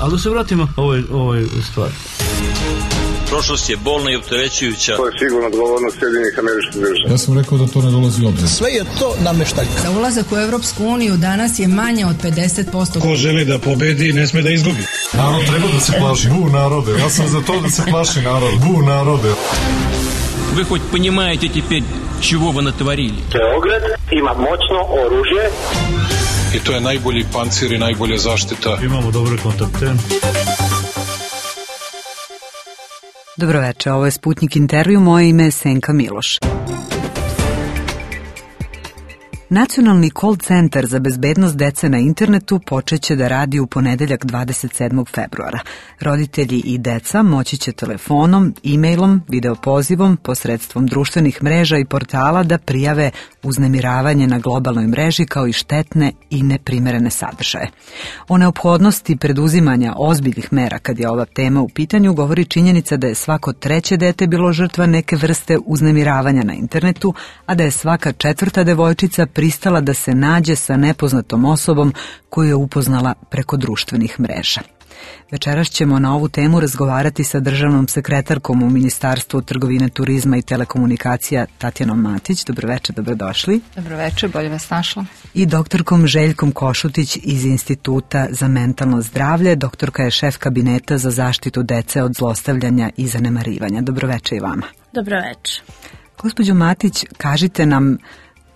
Ali da se vratimo ovoj stvari. Prošlost je bolna i opterećujuća. To je sigurno odgovornost Sjedinjenih Američkih Država. Ja sam rekao da to ne dolazi u obzir. Sve je to nameštaljka. Za ulazak u Evropsku uniju danas je manje od 50%. Ko želi da pobedi, ne sme da izgubi. Narod treba da se plaši. Bu narode. Ja sam za to da se plaši narod. Bu narode. Вы хоть понимаете теперь, чего вы натворили? Beograd ima moćno oružje. I to je najbolji pancir i najbolja zaštita. Imamo dobre kontakte. Dobroveče, ovo je Sputnik intervju, moje ime je Senka Miloš. Nacionalni call centar za bezbednost dece na internetu počeće da radi u ponedeljak 27. februara. Roditelji i deca moći će telefonom, e-mailom, videopozivom, posredstvom društvenih mreža i portala da prijave uznemiravanje na globalnoj mreži kao i štetne i neprimerene sadržaje. O neophodnosti preduzimanja ozbiljnih mera kad je ova tema u pitanju govori činjenica da je svako treće dete bilo žrtva neke vrste uznemiravanja na internetu, a da je svaka četvrta devojčica pristala da se nađe sa nepoznatom osobom koju je upoznala preko društvenih mreža. Večeras ćemo na ovu temu razgovarati sa državnom sekretarkom u Ministarstvu trgovine, turizma i telekomunikacija Tatjanom Matić. Dobroveče, dobrodošli. Dobroveče, bolje vas našla. I doktorkom Željkom Košutić iz Instituta za mentalno zdravlje. Doktorka je šef kabineta za zaštitu dece od zlostavljanja i zanemarivanja. Dobroveče i vama. Dobroveče. Gospođo Matić, kažite nam,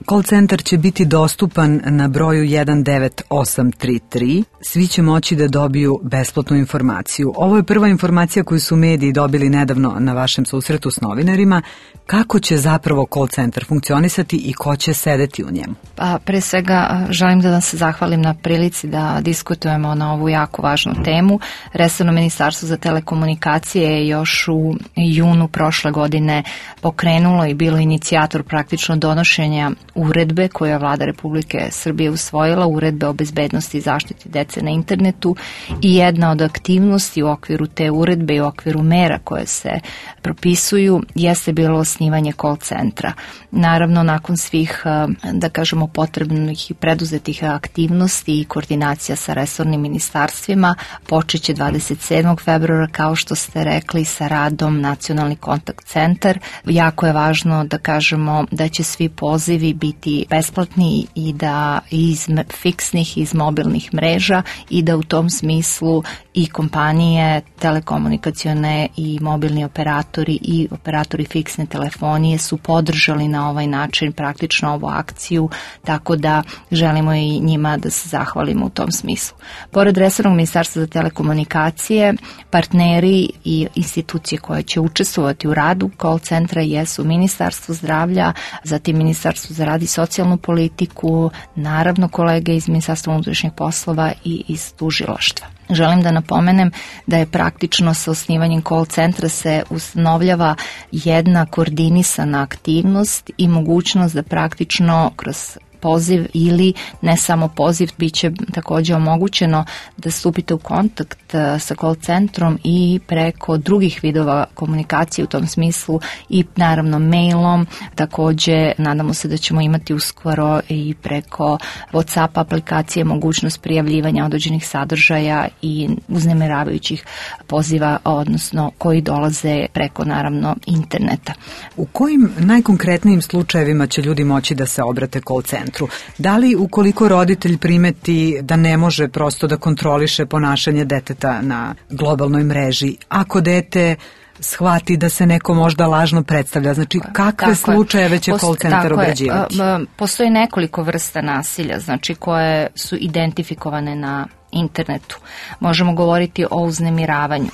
call centar će biti dostupan na broju 19833. Svi će moći da dobiju besplatnu informaciju. Ovo je prva informacija koju su mediji dobili nedavno na vašem susretu s novinarima. Kako će zapravo call centar funkcionisati i ko će sedeti u njemu? Pa, pre svega želim da vam se zahvalim na prilici da diskutujemo na ovu jako važnu temu. Resorno ministarstvo za telekomunikacije je još u junu prošle godine pokrenulo i bilo inicijator praktično donošenja uredbe koje je Vlada Republike Srbije usvojila, uredbe o bezbednosti i zaštiti dece na internetu, i jedna od aktivnosti u okviru te uredbe i u okviru mera koje se propisuju jeste bilo osnivanje call centra. Naravno, nakon svih, da kažemo, potrebnih i preduzetih aktivnosti i koordinacija sa resornim ministarstvima, počeće 27. februara, kao što ste rekli, sa radom Nacionalni kontakt centar. Jako je važno da kažemo da će svi pozivi biti besplatni i da iz fiksnih, iz mobilnih mreža, i da u tom smislu i kompanije telekomunikacione i mobilni operatori i operatori fiksne telefonije su podržali na ovaj način praktično ovu akciju, tako da želimo i njima da se zahvalimo u tom smislu. Pored resornog ministarstva za telekomunikacije, partneri i institucije koje će učestvovati u radu call centra jesu Ministarstvo zdravlja, zatim Ministarstvo za rad i socijalnu politiku, naravno kolege iz Ministarstva unutrašnjih poslova i iz tužilaštva. Želim da napomenem da je praktično sa osnivanjem call centra se ustanovljava jedna koordinisana aktivnost i mogućnost da praktično kroz poziv ili ne samo poziv, bit će također omogućeno da stupite u kontakt sa call centrom i preko drugih vidova komunikacije u tom smislu, i naravno mailom. Također nadamo se da ćemo imati uskoro i preko WhatsApp aplikacije mogućnost prijavljivanja određenih sadržaja i uznemiravajućih poziva, odnosno koji dolaze preko naravno interneta. U kojim najkonkretnijim slučajevima će ljudi moći da se obrate call centru? Da li ukoliko roditelj primeti da ne može prosto da kontroliše ponašanje deteta na globalnoj mreži, ako dete shvati da se neko možda lažno predstavlja, znači kakve slučajeve će call centar obrađivati? Postoji nekoliko vrsta nasilja, znači koje su identifikovane na internetu. Možemo govoriti o uznemiravanju,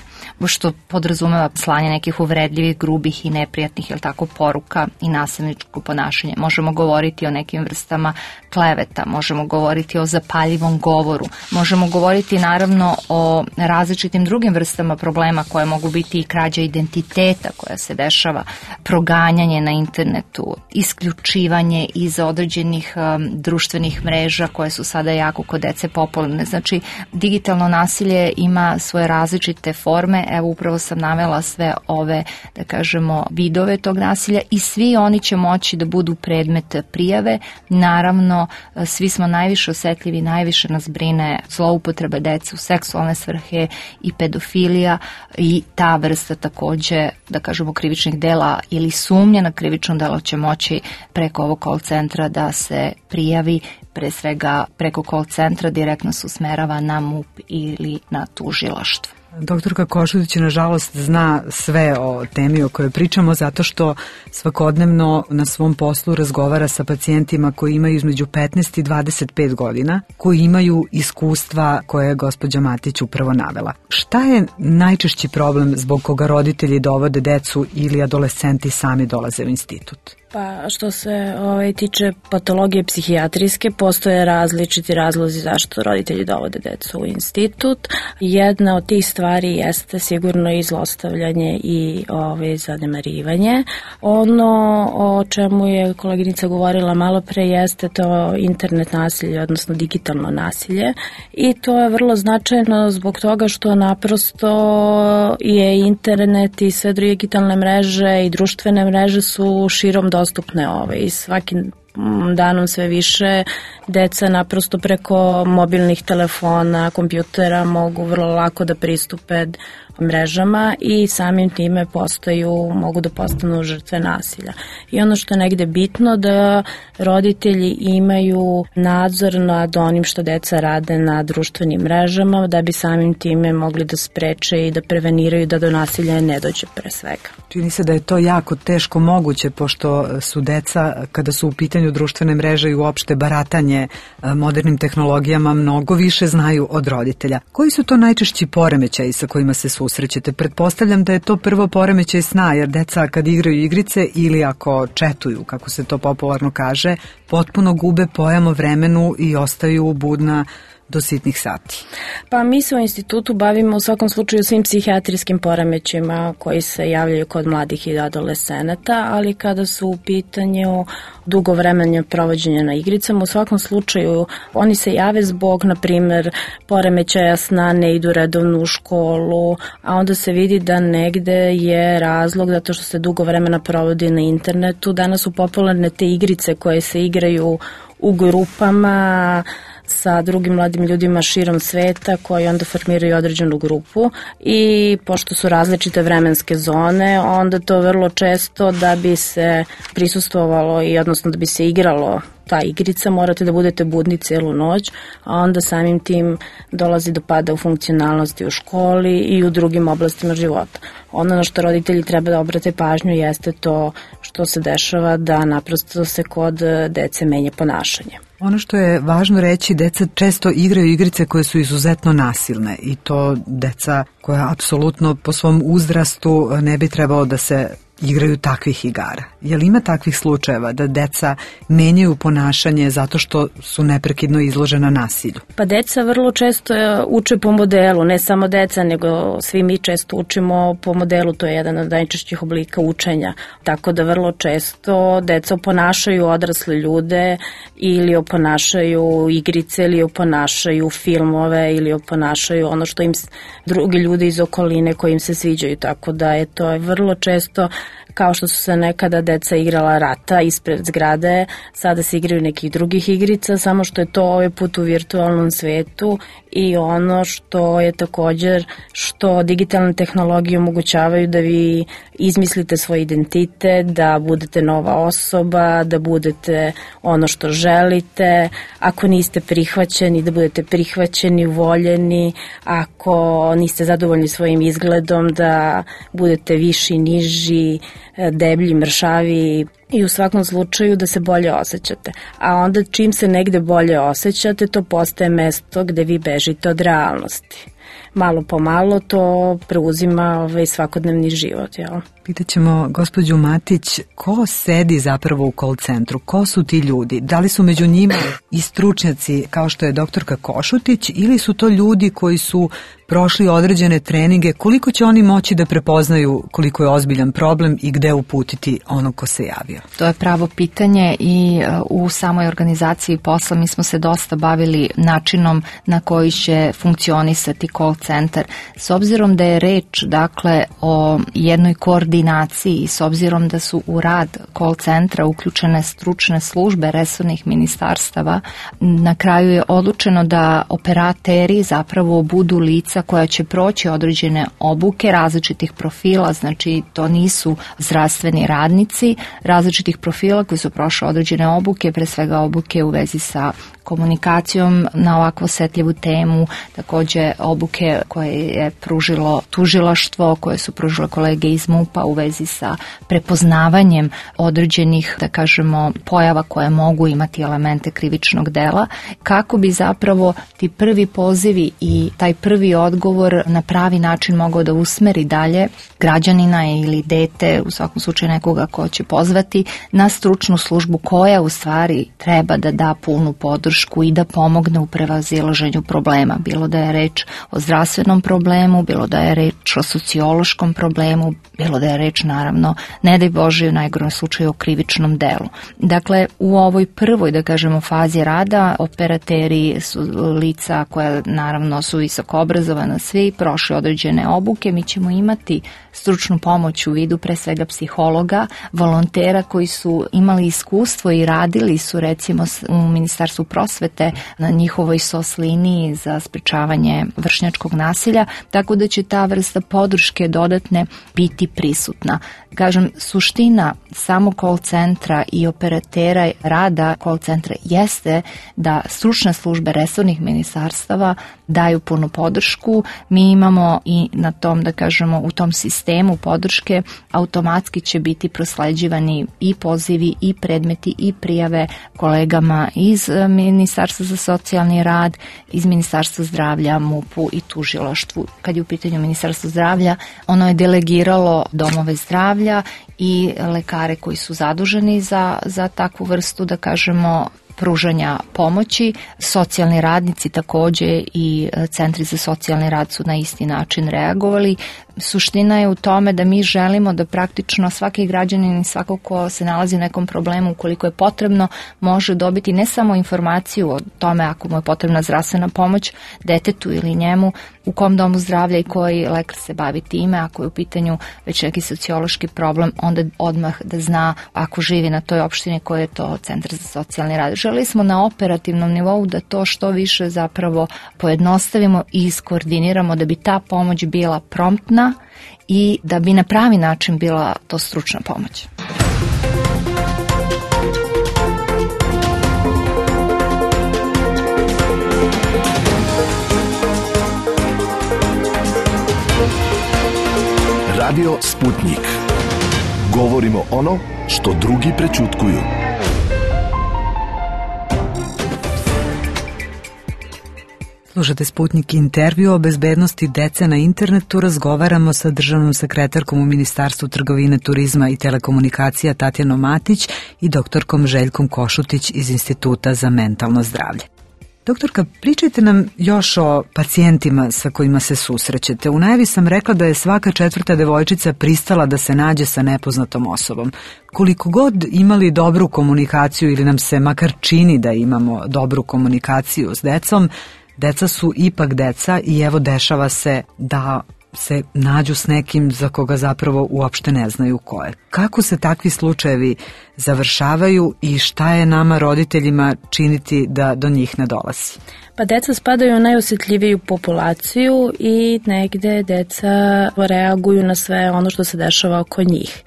što podrazumeva slanje nekih uvredljivih, grubih i neprijatnih, poruka i nasilničko ponašanje. Možemo govoriti o nekim vrstama kleveta, možemo govoriti o zapaljivom govoru, možemo govoriti naravno o različitim drugim vrstama problema koje mogu biti i krađa identiteta koja se dešava, proganjanje na internetu, isključivanje iz određenih društvenih mreža koje su sada jako kod dece popularne. Znači, Digitalno nasilje ima svoje različite forme, evo upravo sam navela sve ove, da kažemo, vidove tog nasilja i svi oni će moći da budu predmet prijave. Naravno, svi smo najviše osetljivi, najviše nas brine zloupotreba dece u seksualne svrhe i pedofilija i ta vrsta takođe, da kažemo, krivičnih dela ili sumnja na krivično delo će moći preko ovog call centra da se prijavi, pre svega preko call centra direktno se usmerava na MUP ili na tužilaštvo. Doktorka Košutić nažalost zna sve o temi o kojoj pričamo zato što svakodnevno na svom poslu razgovara sa pacijentima koji imaju između 15 i 25 godina, koji imaju iskustva koje je gospođa Matić upravo navela. Šta je najčešći problem zbog koga roditelji dovode decu ili adolescenti sami dolaze u institut? Pa što se tiče patologije psihijatrijske, postoje različiti razlozi zašto roditelji dovode decu u institut. Jedna od tih stvari jeste sigurno i zlostavljanje i zanemarivanje. Ono o čemu je koleginica govorila malo pre jeste to internet nasilje, odnosno digitalno nasilje, i to je vrlo značajno zbog toga što naprosto je internet i sve digitalne mreže i društvene mreže su širom dostupne i svakim danom sve više deca naprosto preko mobilnih telefona, kompjutera mogu vrlo lako da pristupe mrežama i samim time mogu da postanu žrtve nasilja. I ono što je negde bitno da roditelji imaju nadzor nad onim što deca rade na društvenim mrežama da bi samim time mogli da spreče i da preveniraju da do nasilja ne dođe pre svega. Čini se da je to jako teško moguće pošto su deca kada su u pitanju društvene mreže i uopšte baratanje modernim tehnologijama mnogo više znaju od roditelja. Koji su to najčešći poremećaji sa kojima se susrećete? Pretpostavljam da je to prvo poremećaj sna, jer deca kad igraju igrice ili ako četuju, kako se to popularno kaže, potpuno gube pojam o vremenu i ostaju budna do sitnih sati. Pa mi se u institutu bavimo u svakom slučaju svim psihijatrijskim poremećima koji se javljaju kod mladih i adolescenata, ali kada su u pitanju dugo vremena provođenja na igricama, u svakom slučaju oni se jave zbog, na primer, poremećaja sna, ne idu redovno u školu, a onda se vidi da negde je razlog zato što se dugo vremena provodi na internetu. Danas su popularne te igrice koje se igraju u grupama sa drugim mladim ljudima širom sveta koji onda formiraju određenu grupu i pošto su različite vremenske zone, onda to vrlo često da bi se prisustvovalo i odnosno da bi se igralo ta igrica, morate da budete budni celu noć, a onda samim tim dolazi do pada u funkcionalnosti u školi i u drugim oblastima života. Ono na što roditelji treba da obrate pažnju jeste to što se dešava da naprosto se kod dece menja ponašanje. Ono što je važno reći, deca često igraju igrice koje su izuzetno nasilne i to deca koja apsolutno po svom uzrastu ne bi trebalo da se igraju takvih igara. Je li ima takvih slučajeva da deca menjaju ponašanje zato što su neprekidno izložena nasilju? Pa deca vrlo često uče po modelu, ne samo deca, nego svi mi često učimo po modelu, to je jedan od najčešćih oblika učenja. Tako da vrlo često deca oponašaju odrasle ljude ili oponašaju igrice ili oponašaju filmove ili oponašaju ono što im drugi ljudi iz okoline koji im se sviđaju. Tako da je to vrlo često kao što su se nekada deca igrala rata ispred zgrade, sada se igraju nekih drugih igrica, samo što je to ovaj put u virtualnom svetu i ono što je također što digitalne tehnologije omogućavaju da vi izmislite svoj identitet, da budete nova osoba, da budete ono što želite, ako niste prihvaćeni, da budete prihvaćeni, voljeni, ako niste zadovoljni svojim izgledom, da budete viši, niži, deblji, mršavi i u svakom slučaju da se bolje osjećate. A onda čim se negde bolje osjećate, to postaje mesto gde vi bežite od realnosti. Malo po malo to preuzima svakodnevni život. Jel? Pitaćemo gospođu Matić, ko sedi zapravo u call centru? Ko su ti ljudi? Da li su među njima i stručnjaci kao što je doktorka Košutić ili su to ljudi koji su prošli određene treninge? Koliko će oni moći da prepoznaju koliko je ozbiljan problem i gde uputiti onog ko se javio? To je pravo pitanje i u samoj organizaciji posla mi smo se dosta bavili načinom na koji će funkcionisati call centar. S obzirom da je reč dakle o jednoj koordinaciji i s obzirom da su u rad call centra uključene stručne službe resornih ministarstava, na kraju je odlučeno da operateri zapravo budu lica koja će proći određene obuke različitih profila, znači to nisu zdravstveni radnici, različitih profila koji su prošli određene obuke, pre svega obuke u vezi sa komunikacijom na ovakvu osetljivu temu, takođe obuke koje je pružilo tužilaštvo, koje su pružile kolege iz MUP-a u vezi sa prepoznavanjem određenih, da kažemo, pojava koje mogu imati elemente krivičnog dela, kako bi zapravo ti prvi pozivi i taj prvi odgovor na pravi način mogao da usmeri dalje građanina ili dete, u svakom slučaju nekoga ko će pozvati, na stručnu službu koja u stvari treba da da punu podršku i da pomogne u prevazilaženju problema. Bilo da je reč o zdravstvenom problemu, bilo da je reč o sociološkom problemu, bilo da je reč naravno, ne daj Bože, u najgorem slučaju o krivičnom delu. Dakle, u ovoj prvoj, da kažemo, fazi rada, operateri su lica koja naravno su visoko obrazovana, svi prošli određene obuke, mi ćemo imati stručnu pomoć u vidu pre svega psihologa, volontera koji su imali iskustvo i radili su recimo u Ministarstvu prosvete na njihovoj SOS liniji za sprečavanje vršnjačkog nasilja, tako da će ta vrsta podrške dodatne biti prisutna. Kažem, suština samo call centra i operatera rada call centra jeste da stručne službe resornih ministarstava daju punu podršku. Mi imamo i na tom, da kažemo, u tom sistemu podrške automatski će biti prosleđivani i pozivi i predmeti i prijave kolegama iz Ministarstva za socijalni rad, iz Ministarstva zdravlja, MUP-u i tužilaštvu. Kad je u pitanju Ministarstvo zdravlja, ono je delegiralo domove zdravlja i lekare koji su zaduženi za takvu vrstu, da kažemo, pružanja pomoći. Socijalni radnici takođe i centri za socijalni rad su na isti način reagovali. Suština je u tome da mi želimo da praktično svaki građanin i svako ko se nalazi u nekom problemu, ukoliko je potrebno, može dobiti ne samo informaciju o tome ako mu je potrebna zdravstvena pomoć detetu ili njemu, u kom domu zdravlja i koji lekar se bavi time, ako je u pitanju već neki sociološki problem, onda odmah da zna ako živi na toj opštini koji je to centar za socijalni rad. Želeli smo na operativnom nivou da to što više zapravo pojednostavimo i iskoordiniramo da bi ta pomoć bila promptna i da bi na pravi način bila to stručna pomoć. Radio Sputnik. Govorimo ono što drugi prećutkuju. Slušate Sputnik intervju o bezbednosti dece na internetu. Razgovaramo sa državnom sekretarkom u Ministarstvu trgovine, turizma i telekomunikacija Tatjanom Matić i doktorkom Željkom Košutić iz Instituta za mentalno zdravlje. Doktorka, pričajte nam još o pacijentima sa kojima se susrećete. U najavi sam rekla da je svaka 4. devojčica pristala da se nađe sa nepoznatom osobom. Koliko god imali dobru komunikaciju ili nam se makar čini da imamo dobru komunikaciju s decom, deca su ipak deca i evo dešava se da se nađu s nekim za koga zapravo uopšte ne znaju ko je. Kako se takvi slučajevi završavaju i šta je nama roditeljima činiti da do njih ne dolazi? Pa deca spadaju u najosjetljiviju populaciju i negde deca reaguju na sve ono što se dešava oko njih.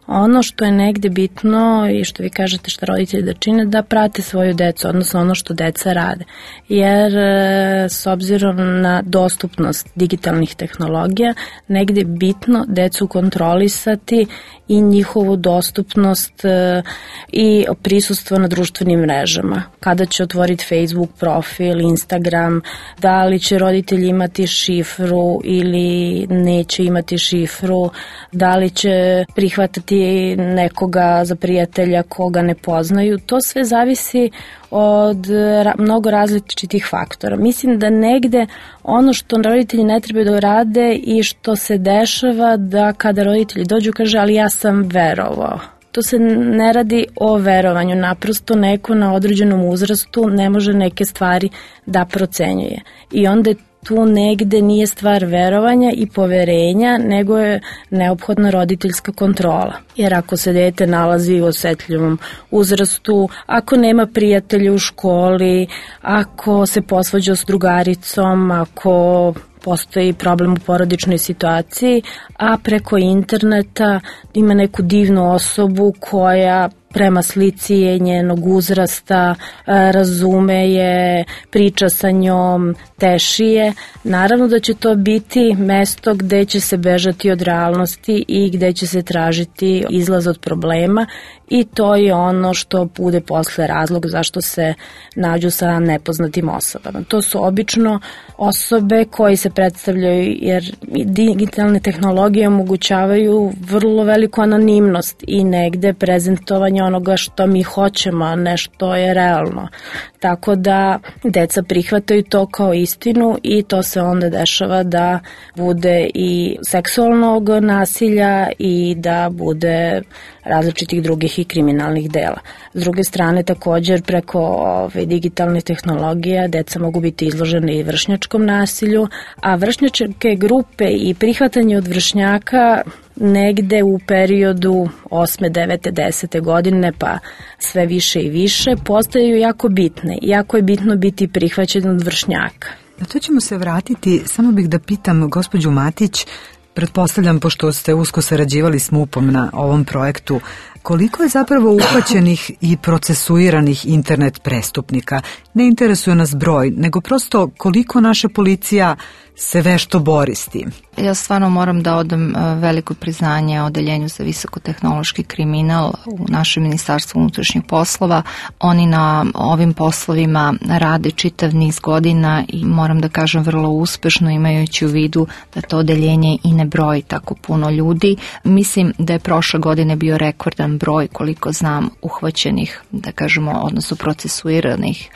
Ono što je negde bitno i što vi kažete šta roditelji da čine, da prate svoju decu, odnosno ono što deca rade. Jer s obzirom na dostupnost digitalnih tehnologija, negde je bitno decu kontrolisati i njihovu dostupnost i prisustvo na društvenim mrežama. Kada će otvoriti Facebook profil, Instagram, da li će roditelji imati šifru ili neće imati šifru, da li će prihvatati nekoga za prijatelja koga ne poznaju. To sve zavisi od mnogo različitih faktora. Mislim da negde ono što roditelji ne trebaju da rade i što se dešava da kada roditelji dođu kaže ali ja sam verovao. To se ne radi o verovanju, naprosto neko na određenom uzrastu ne može neke stvari da procenjuje. I onda tu negde nije stvar verovanja i poverenja, nego je neophodna roditeljska kontrola. Jer ako se dete nalazi u osetljivom uzrastu, ako nema prijatelja u školi, ako se posvađa s drugaricom, ako postoji problem u porodičnoj situaciji, a preko interneta ima neku divnu osobu koja prema slici je njenog uzrasta, razume je, priča sa njom, teši je. Naravno da će to biti mesto gde će se bežati od realnosti i gde će se tražiti izlaz od problema i to je ono što bude posle razlog zašto se nađu sa nepoznatim osobama. To su obično osobe koji se predstavljaju jer digitalne tehnologije omogućavaju vrlo veliku anonimnost i negde prezentovanje onoga što mi hoćemo, a ne što je realno. Tako da deca prihvataju to kao istinu i to se onda dešava da bude i seksualnog nasilja i da bude različitih drugih i kriminalnih dela. S druge strane, također preko digitalne tehnologije deca mogu biti izložene i vršnjačkom nasilju, a vršnjačke grupe i prihvatanje od vršnjaka negde u periodu 8., 9., 10. godine pa sve više i više postaju jako bitne. Jako je bitno biti prihvaćen od vršnjaka. Na to ćemo se vratiti, samo bih da pitam gospođu Matić, pretpostavljam pošto ste usko sarađivali s MUP-om na ovom projektu, koliko je zapravo uhvaćenih i procesuiranih internet prestupnika? Ne interesuje nas broj, nego prosto koliko naša policija se vešto bori s tim. Ja stvarno moram da odam veliko priznanje Odeljenju za visokotehnološki kriminal u našem Ministarstvu unutrašnjih poslova. Oni na ovim poslovima rade čitav niz godina i moram da kažem vrlo uspešno, imajući u vidu da to odeljenje i ne broji tako puno ljudi. Mislim da je prošle godine bio rekordan broj, koliko znam, uhvaćenih, da kažemo, odnosno procesuiranih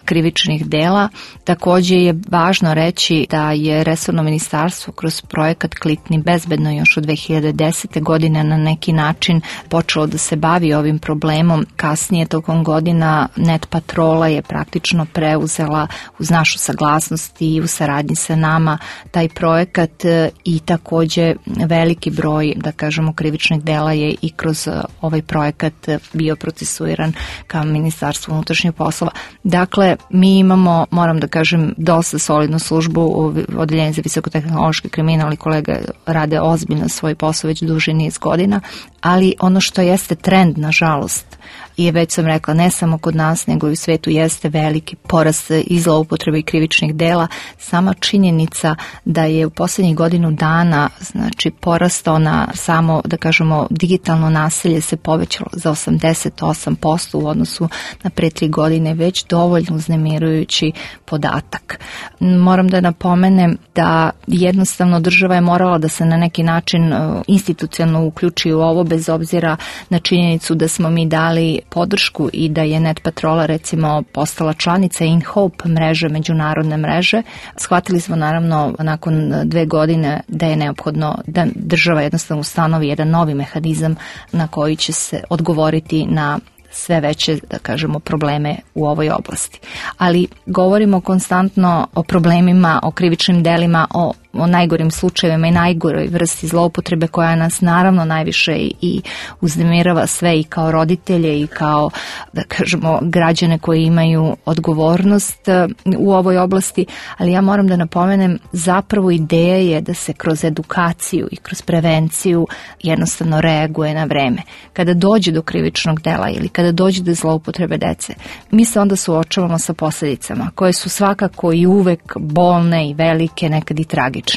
krivičnih dela. Također je važno reći da je resorno ministarstvo kroz projekat Klikni bezbedno još od 2010. godine na neki način počelo da se bavi ovim problemom. Kasnije tokom godina Net Patrola je praktično preuzela uz našu saglasnost i u saradnji sa nama taj projekat i također veliki broj, da kažemo, krivičnih dela je i kroz ovaj projekat bio procesuiran kao Ministarstvo unutrašnjih poslova. Dakle, mi imamo, moram da kažem, dosta solidnu službu, Odeljenje za visokotehnološki kriminal i kolega rade ozbiljno svoj posao već duži niz godina, ali ono što jeste trend, nažalost, je, već sam rekla, ne samo kod nas, nego i u svetu jeste veliki porast i zloupotrebe i krivičnih dela. Sama činjenica da je u posljednjih godinu dana, znači, porastao na samo, da kažemo, digitalno nasilje se povećalo za 88% u odnosu na pre 3 godine, već dovoljno uznemirujući podatak. Moram da napomenem da jednostavno država je morala da se na neki način institucionalno uključi u ovo, bez obzira na činjenicu da smo mi dali podršku i da je Net Patrola recimo postala članica InHope mreže, međunarodne mreže. Shvatili smo naravno nakon 2 godine da je neophodno da država jednostavno ustanovi jedan novi mehanizam na koji će se odgovoriti na sve veće, da kažemo, probleme u ovoj oblasti. Ali govorimo konstantno o problemima, o krivičnim delima, o najgorim slučajevima i najgoroj vrsti zloupotrebe koja nas naravno najviše i uznemirava sve i kao roditelje i kao, da kažemo, građane koji imaju odgovornost u ovoj oblasti, ali ja moram da napomenem, zapravo ideja je da se kroz edukaciju i kroz prevenciju jednostavno reaguje na vreme. Kada dođe do krivičnog dela ili kada dođe do zloupotrebe dece, mi se onda suočavamo sa posljedicama koje su svakako i uvek bolne i velike, nekad i tragične.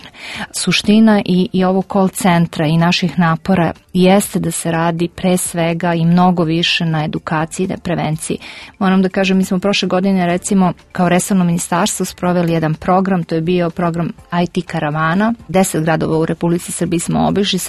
Suština i ovog call centra i naših napora jeste da se radi pre svega i mnogo više na edukaciji, na prevenciji. Moram da kažem, mi smo prošle godine recimo kao resorno ministarstvo sproveli jedan program, to je bio program IT karavana. 10 gradova u Republici Srbiji smo obišli,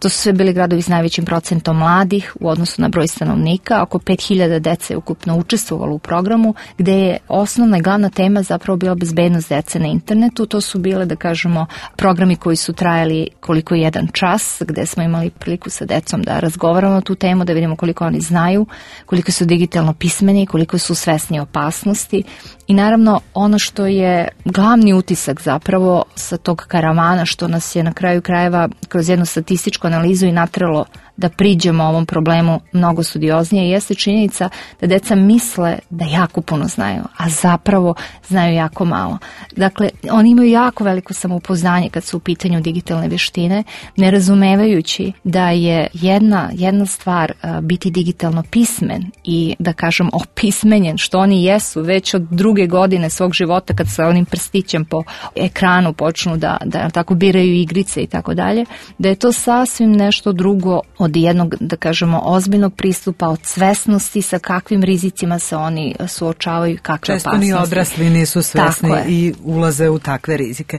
to su sve bili gradovi s najvećim procentom mladih u odnosu na broj stanovnika. Oko 5000 dece je ukupno učestvovalo u programu, gde je osnovna i glavna tema zapravo bila bezbednost dece na internetu. To su bile, da kažem, kažemo, programi koji su trajali koliko je jedan čas, gde smo imali priliku sa decom da razgovaramo o tu temu, da vidimo koliko oni znaju, koliko su digitalno pismeni, koliko su svesni opasnosti. I naravno ono što je glavni utisak zapravo sa tog karavana, što nas je na kraju krajeva kroz jednu statističku analizu i natralo da priđemo ovom problemu mnogo studioznije, jeste činjenica da deca misle da jako puno znaju, a zapravo znaju jako malo. Dakle, oni imaju jako veliko samopouzdanje kad su u pitanju digitalne vještine, ne razumevajući da je jedna stvar biti digitalno pismen i da kažem opismenjen, što oni jesu već od 2. godine svog života kad sa onim prstićem po ekranu počnu da tako biraju igrice i tako dalje, da je to sasvim nešto drugo od jednog, da kažemo, ozbiljnog pristupa, od svesnosti sa kakvim rizicima se oni suočavaju, kakve često opasnosti. Često ni odrasli nisu svesni i ulaze u takve rizike.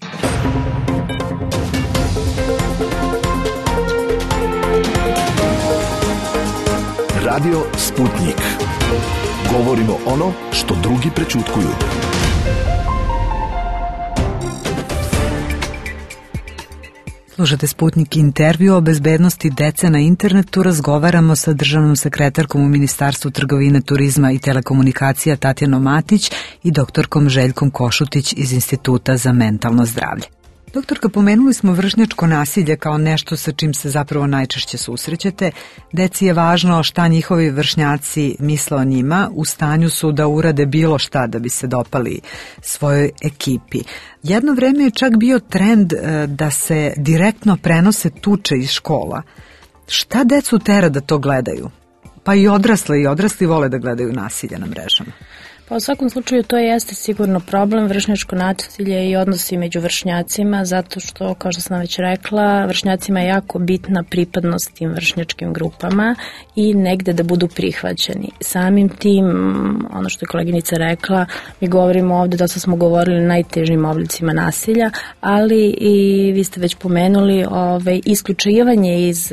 Radio Sputnik. Govorimo ono što drugi prećutkuju. Slušate Sputnik intervju o bezbednosti dece na internetu. Razgovaramo sa državnom sekretarkom u Ministarstvu trgovine, turizma i telekomunikacija Tatjanom Matić i doktorkom Željkom Košutić iz Instituta za mentalno zdravlje. Doktorka, pomenuli smo vršnjačko nasilje kao nešto sa čim se zapravo najčešće susrećete. Deci je važno šta njihovi vršnjaci misle o njima, u stanju su da urade bilo šta da bi se dopali svojoj ekipi. Jedno vreme je čak bio trend da se direktno prenose tuče iz škola. Šta decu tera da to gledaju? Pa i odrasli vole da gledaju nasilje na mrežama. Pa u svakom slučaju to jeste sigurno problem, vršnjačko nasilje i odnosi među vršnjacima, zato što, kao što sam već rekla, vršnjacima je jako bitna pripadnost tim vršnjačkim grupama i negde da budu prihvaćeni. Samim tim, ono što je koleginica rekla, mi govorimo ovde, dosta smo govorili o najtežim oblicima nasilja, ali i vi ste već pomenuli isključivanje iz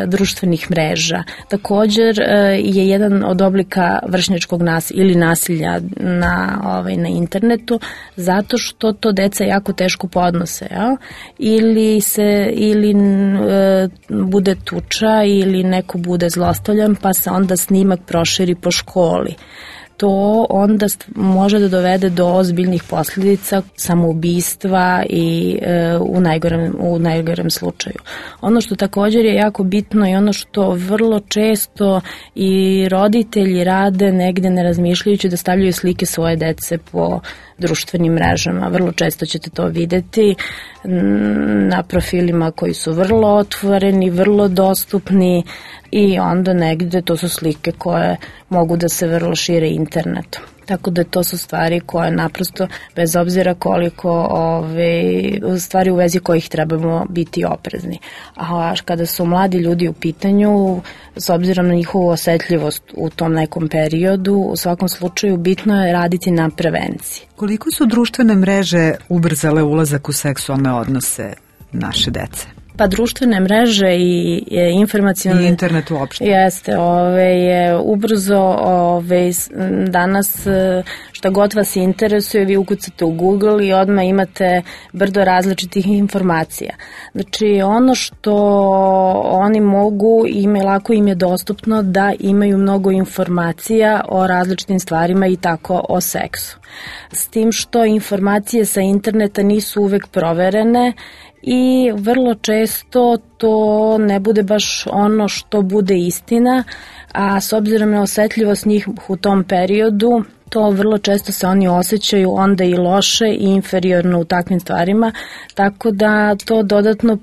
društvenih mreža. Također je jedan od oblika vršnjačkog nasilja ili nasilja na internetu, zato što to deca jako teško podnose, ili bude tuča ili neko bude zlostavljan, pa se onda snimak proširi po školi. To onda može da dovede do ozbiljnih posljedica, samoubistva i u najgorem slučaju. Ono što također je jako bitno i ono što vrlo često i roditelji rade negde ne razmišljajući da stavljaju slike svoje dece po društvenim mrežama. Vrlo često ćete to videti na profilima koji su vrlo otvoreni, vrlo dostupni i onda negde to su slike koje mogu da se vrlo šire internetom. Tako da to su stvari koje naprosto, bez obzira koliko stvari u vezi kojih trebamo biti oprezni. A kada su mladi ljudi u pitanju, s obzirom na njihovu osetljivost u tom nekom periodu, u svakom slučaju bitno je raditi na prevenciji. Koliko su društvene mreže ubrzale ulazak u seksualne odnose naše dece? Pa društvene mreže i informacione... I internet uopšte. Jeste, je ubrzo danas šta god vas interesuje, vi ukucate u Google i odmah imate brdo različitih informacija. Znači, ono što oni mogu, lako im je dostupno da imaju mnogo informacija o različitim stvarima i tako o seksu. S tim što informacije sa interneta nisu uvek proverene i vrlo često to ne bude baš ono što bude istina, a s obzirom na osetljivost njih u tom periodu, to vrlo često se oni osjećaju onda i loše i inferiorno u takvim stvarima, tako da to dodatno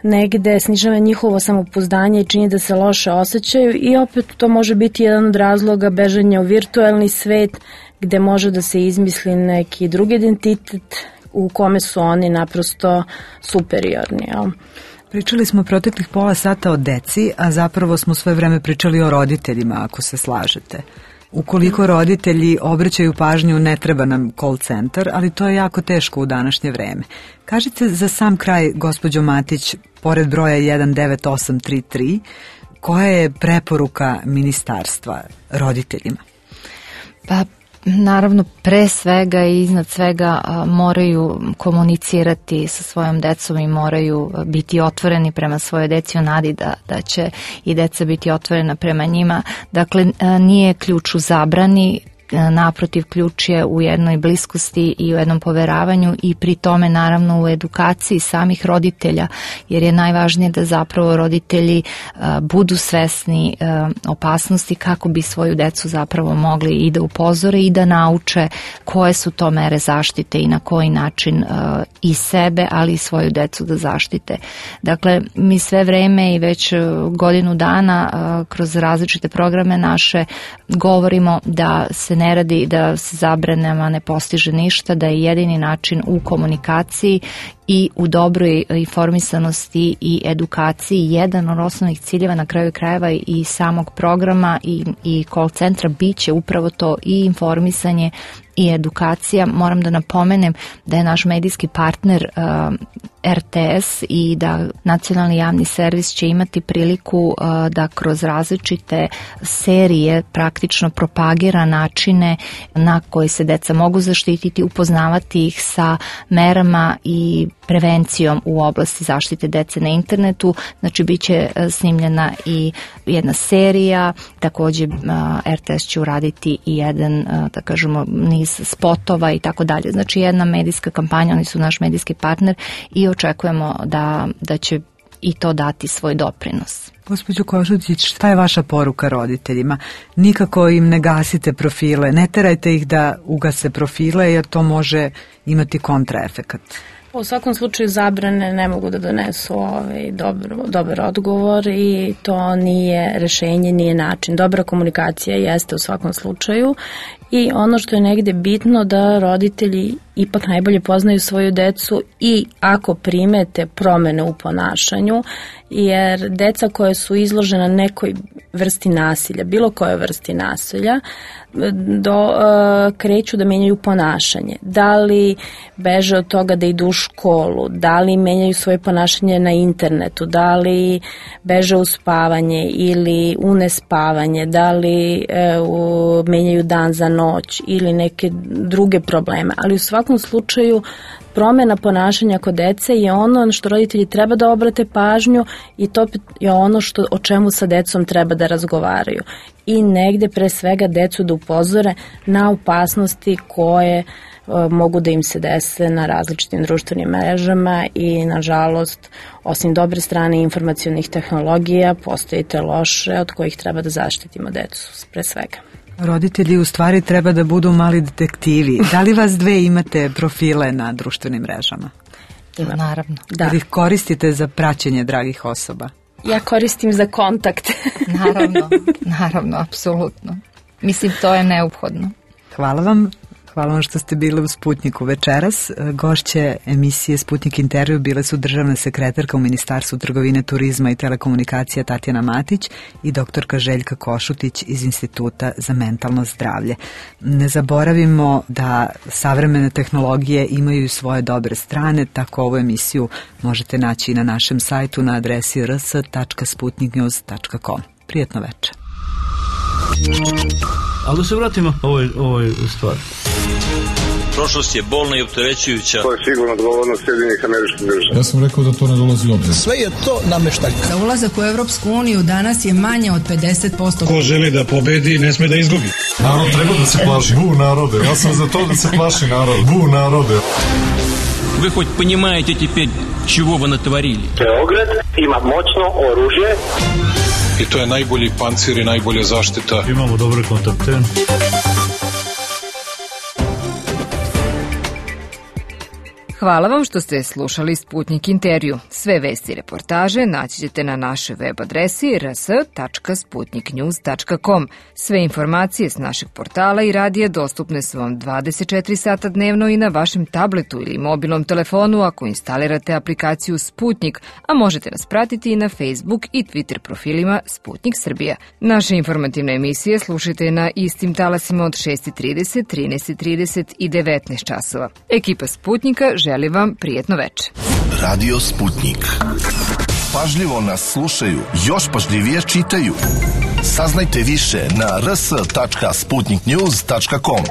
negde snižava njihovo samopouzdanje i čini da se loše osjećaju i opet to može biti jedan od razloga bežanja u virtualni svet gde može da se izmisli neki drugi identitet u kome su oni naprosto superiorni. Pričali smo proteklih pola sata o deci, a zapravo smo sve vreme pričali o roditeljima, ako se slažete. Ukoliko roditelji obraćaju pažnju, ne treba nam call centar, ali to je jako teško u današnje vreme. Kažite za sam kraj, gospođo Matić, pored broja 19833, koja je preporuka ministarstva roditeljima? Pa naravno pre svega i iznad svega moraju komunicirati sa svojom decom i moraju biti otvoreni prema svojoj deci u nadi da će i deca biti otvorena prema njima. Dakle, nije ključ u zabrani, naprotiv, ključ je u jednoj bliskosti i u jednom poveravanju i pri tome naravno u edukaciji samih roditelja, jer je najvažnije da zapravo roditelji budu svesni opasnosti kako bi svoju decu zapravo mogli i da upozore i da nauče koje su to mere zaštite i na koji način i sebe, ali i svoju decu da zaštite. Dakle, mi sve vreme i već godinu dana kroz različite programe naše govorimo da se ne radi, da se zabranama ne postiže ništa, da je jedini način u komunikaciji i u dobroj informisanosti i edukaciji jedan od osnovnih ciljeva, na kraju krajeva i samog programa i call centra biće upravo to, i informisanje i edukacija. Moram da napomenem da je naš medijski partner RTS i da nacionalni javni servis će imati priliku da kroz različite serije praktično propagira načine na koji se deca mogu zaštititi, upoznavati ih sa merama i prevencijom u oblasti zaštite dece na internetu. Znači, bit će snimljena i jedna serija, takođe RTS će uraditi i jedan, da kažemo, niz spotova i tako dalje. Znači, jedna medijska kampanja, oni su naš medijski partner i očekujemo da će i to dati svoj doprinos. Gospođo Košutić, šta je vaša poruka roditeljima? Nikako im ne gasite profile, ne terajte ih da ugase profile, jer to može imati kontraefekat. U svakom slučaju zabrane ne mogu da donesu dobar odgovor i to nije rešenje, nije način. Dobra komunikacija jeste u svakom slučaju i ono što je negde bitno da roditelji ipak najbolje poznaju svoju decu i ako primete promene u ponašanju, jer deca koje su izložena nekoj vrsti nasilja, bilo koje vrsti nasilja, kreću da menjaju ponašanje. Da li beže od toga da idu u školu, da li menjaju svoje ponašanje na internetu, da li beže u spavanje ili u nespavanje, da li menjaju dan za noć ili neke druge probleme. Ali u svakom slučaju promena ponašanja kod dece je ono što roditelji treba da obrate pažnju i to je ono o čemu sa decom treba da razgovaraju. I negde pre svega decu da upozore na opasnosti koje mogu da im se dese na različitim društvenim mrežama i nažalost osim dobre strane informacionih tehnologija postoje te loše od kojih treba da zaštitimo decu pre svega. Roditelji u stvari treba da budu mali detektivi. Da li vas dve imate profile na društvenim mrežama? Imam. Naravno. Da. Ili ih koristite za praćenje dragih osoba? Ja koristim za kontakt. Naravno, apsolutno. Mislim, to je neophodno. Hvala vam. Hvala vam što ste bili u Sputniku večeras. Gošće emisije Sputnik intervju bile su državna sekretarka u Ministarstvu trgovine, turizma i telekomunikacija Tatjana Matić i doktorka Željka Košutić iz Instituta za mentalno zdravlje. Ne zaboravimo da savremene tehnologije imaju svoje dobre strane, tako ovu emisiju možete naći i na našem sajtu na adresi rs.sputniknews.com. Prijetno večer. Ali da se vratimo ovoj stvari. Prošlost je bolna i opterećujuća. To je sigurno odgovornost Sjedinjenih Američkih Država. Ja sam rekao da to ne dolazi u obzir. Sve je to nameštaljka. Za ulazak u Evropsku uniju danas je manje od 50%. Ko želi da pobedi, ne sme da izgubi. Narod treba da se plaši. Bu narode. Ja sam za to da se plaši narod. Bu narode. Вы хоть понимаете теперь, чего вы натворили? Beograd ima moćno oružje. I to je najbolji pancir i najbolja zaštita. Imamo dobre kontakte. Hvala vam što ste slušali Sputnik intervju. Sve vesti i reportaže naći ćete na našoj web adresi rs.sputniknews.com. Sve informacije s našeg portala i radija dostupne su vam 24 sata dnevno i na vašem tabletu ili mobilnom telefonu ako instalirate aplikaciju Sputnik, a možete nas pratiti i na Facebook i Twitter profilima Sputnik Srbija. Naše informativne emisije slušajte na istim talasima od 6:30, 13:30 i 19 časova. Ekipa Sputnika želi vam prijetno večer. Radio Sputnik. Pažljivo nas slušaju, još pažljivije čitaju. Saznajte više na rs.sputniknews.com.